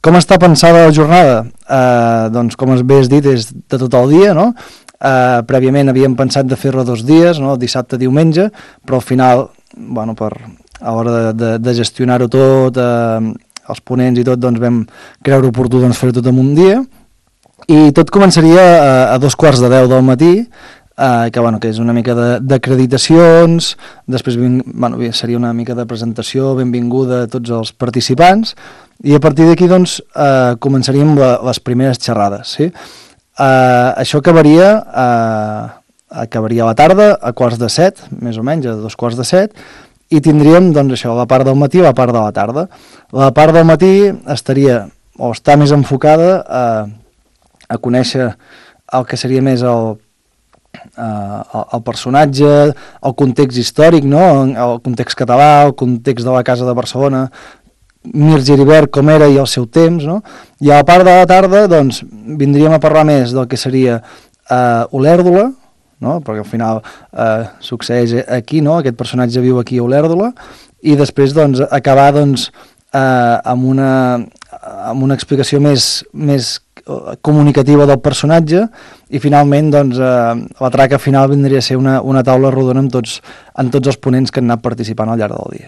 Com està pensada la jornada? Doncs, com bé has dit, és de tot el dia, no? Prèviament havíem pensat de fer-la 2 dies, no? Dissabte, diumenge, però al final, bueno, a l'hora de gestionar-ho tot, els ponents i tot, doncs vam creure oportú fer-ho tot en un dia, i tot començaria a 2:15 del matí, que és una mica d'acreditacions, després seria una mica de presentació, benvinguda a tots els participants, i a partir d'aquí doncs, començaríem les primeres xerrades. Sí? Això acabaria a la tarda, a 6:45, més o menys, a 2:15, i tindríem doncs, això, la part del matí i la part de la tarda. La part del matí està més enfocada a conèixer el que seria més el personatge, el context històric, no? El context català, el context de la Casa de Barcelona, Mir Geribert com era i el seu temps, no? I a la part de la tarda doncs, vindríem a parlar més del que seria Olèrdola, no? Perquè al final succeeix aquí, no? Aquest personatge viu aquí a Olèrdola, i després doncs, acabar doncs, amb una explicació més comunicativa del personatge, i finalment doncs, la traca final vindria a ser una taula rodona amb tots els ponents que han anat participant al llarg del dia.